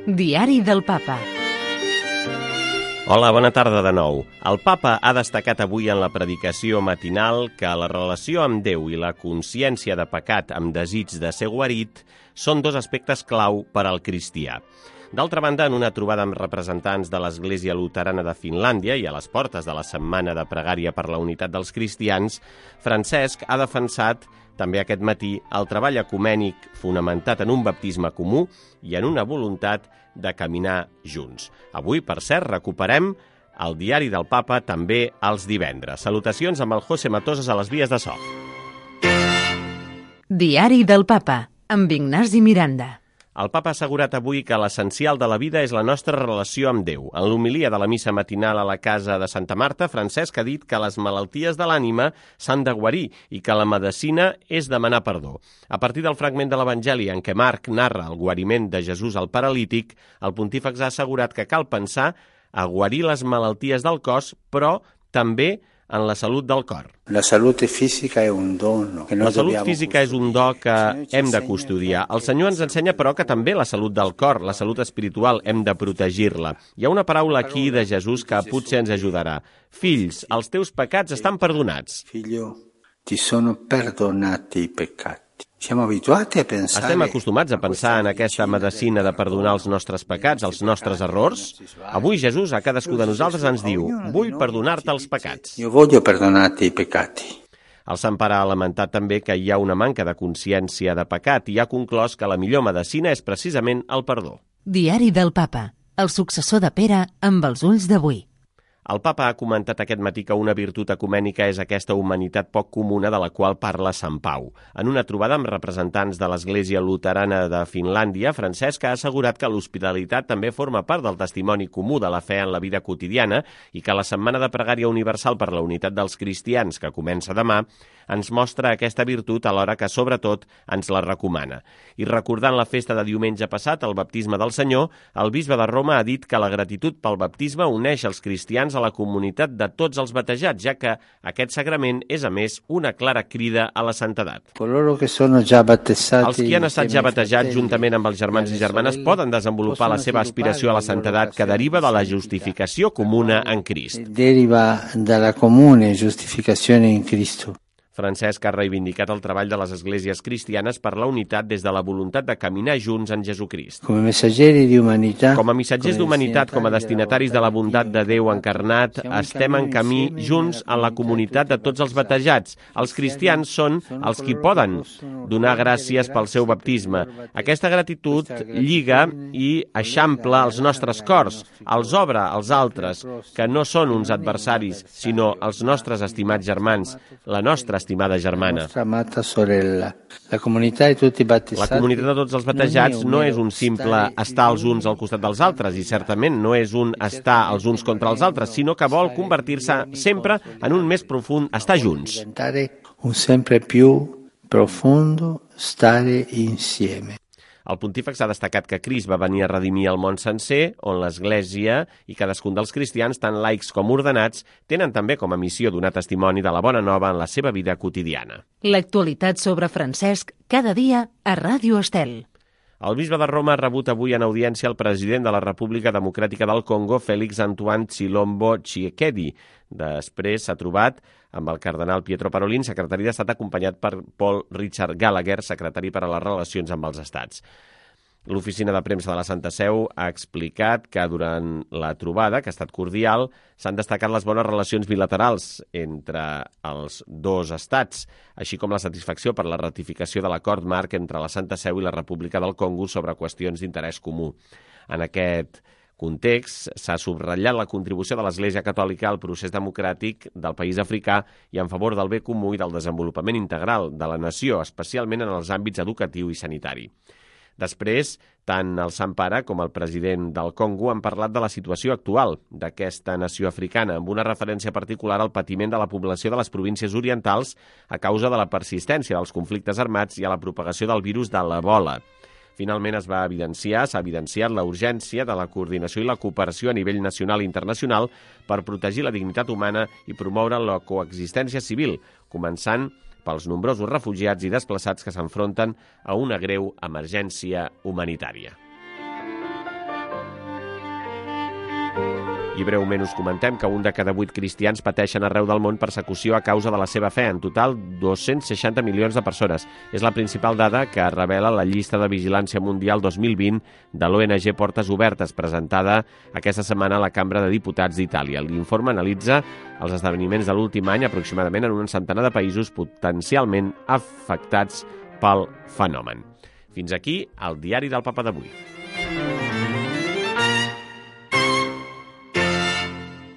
Diari del Papa. Hola, bona tarda de nou. El Papa ha destacat avui en la predicació matinal que la relació amb Déu i la consciència de pecat amb desig de ser guarit són dos aspectes clau per al cristià. D'altra banda, en una trobada amb representants de l'Església Luterana de Finlàndia i a les portes de la Setmana de Pregària per la Unitat dels Cristians, Francesc ha defensat també aquest matí el treball ecumènic fonamentat en un baptisme comú i en una voluntat de caminar junts. Avui, per cert, recuperem el Diari del Papa també els divendres. Salutacions amb el José Matosas a les vies de so. Diari del Papa, amb Ignasi Miranda. El Papa ha assegurat avui que l'essencial de la vida és la nostra relació amb Déu. En l'homilia de la missa matinal a la casa de Santa Marta, Francesc ha dit que les malalties de l'ànima s'han de guarir i que la medicina és demanar perdó. A partir del fragment de l'Evangeli en què Marc narra el guariment de Jesús al paralític, el pontífex ha assegurat que cal pensar a guarir les malalties del cos, però també en la salut del cor. La salut física és un don. La salut física és un do que hem de custodiar. El Senyor ens ensenya, però, que també la salut del cor, la salut espiritual, hem de protegir-la. Hi ha una paraula aquí de Jesús que potser ens ajudarà. Fills, els teus pecats estan perdonats. Figlio, ti sono perdonati i peccati. Estem acostumats a pensar en aquesta medicina de perdonar els nostres pecats, els nostres errors. Avui Jesús a cadascú de nosaltres ens diu: vull perdonar-te els pecats. Jo voglio perdonarti i peccati. El Sant Pare ha lamentat també que hi ha una manca de consciència de pecat i ha conclòs que la millor medicina és precisament el perdó. Diari del Papa, el successor de Pere amb els ulls d'avui. El Papa ha comentat aquest matí que una virtut ecumènica és aquesta humanitat poc comuna de la qual parla Sant Pau. En una trobada amb representants de l'Església Luterana de Finlàndia, Francesc ha assegurat que l'hospitalitat també forma part del testimoni comú de la fe en la vida quotidiana i que la Setmana de Pregària Universal per la Unitat dels Cristians, que comença demà, ens mostra aquesta virtut alhora que, sobretot, ens la recomana. I recordant la festa de diumenge passat, el baptisme del Senyor, el bisbe de Roma ha dit que la gratitud pel baptisme uneix els cristians a la comunitat de tots els batejats, ja que aquest sagrament és, a més, una clara crida a la santedat. Els qui han estat ja batejats juntament amb els germans i germanes poden desenvolupar la seva aspiració a la santedat que deriva de la justificació comuna en Crist. Deriva de la comune giustificazione in Cristo. Francesc ha reivindicat el treball de les esglésies cristianes per la unitat des de la voluntat de caminar junts en Jesucrist. Com a missatgers d'humanitat, com a destinataris de la bondat de Déu encarnat, estem en camí junts en la comunitat de tots els batejats. Els cristians són els qui poden donar gràcies pel seu baptisme. Aquesta gratitud lliga i eixampla els nostres cors, els obre als altres, que no són uns adversaris, sinó els nostres estimats germans, la nostra estimada germana. La comunitat de tots els batejats no és un simple estar els uns al costat dels altres i certament no és un estar els uns contra els altres, sinó que vol convertir-se sempre en un més profund estar junts. Un sempre più profondo stare insieme. El pontífex ha destacat que Crist va venir a redimir el món sencer, on l'Església i cadascun dels cristians, tant laics com ordenats, tenen també com a missió donar testimoni de la bona nova en la seva vida quotidiana. L'actualitat sobre Francesc cada dia a Ràdio Estel. El bisbe de Roma ha rebut avui en audiència el president de la República Democràtica del Congo, Félix Antoine Tshilombo Tshisekedi. Després s'ha trobat amb el cardenal Pietro Parolin, secretari d'Estat, acompanyat per Paul Richard Gallagher, secretari per a les relacions amb els estats. L'oficina de premsa de la Santa Seu ha explicat que durant la trobada, que ha estat cordial, s'han destacat les bones relacions bilaterals entre els dos estats, així com la satisfacció per la ratificació de l'acord marc entre la Santa Seu i la República del Congo sobre qüestions d'interès comú. En aquest context, s'ha subratllat la contribució de l'Església Catòlica al procés democràtic del país africà i en favor del bé comú i del desenvolupament integral de la nació, especialment en els àmbits educatiu i sanitari. Després, tant el Sant Pare com el president del Congo han parlat de la situació actual d'aquesta nació africana, amb una referència particular al patiment de la població de les províncies orientals a causa de la persistència dels conflictes armats i a la propagació del virus de l'Ebola. Finalment s'ha evidenciat la urgència de la coordinació i la cooperació a nivell nacional i internacional per protegir la dignitat humana i promoure la coexistència civil, començant pels nombrosos refugiats i desplaçats que s'enfronten a una greu emergència humanitària. I breument us comentem que 1 de cada 8 cristians pateixen arreu del món persecució a causa de la seva fe. En total, 260 milions de persones. És la principal dada que revela la llista de vigilància mundial 2020 de l'ONG Portes Obertes, presentada aquesta setmana a la Cambra de Diputats d'Itàlia. L'informe analitza els esdeveniments de l'últim any aproximadament en un centenar de països potencialment afectats pel fenomen. Fins aquí el diari del Papa d'avui.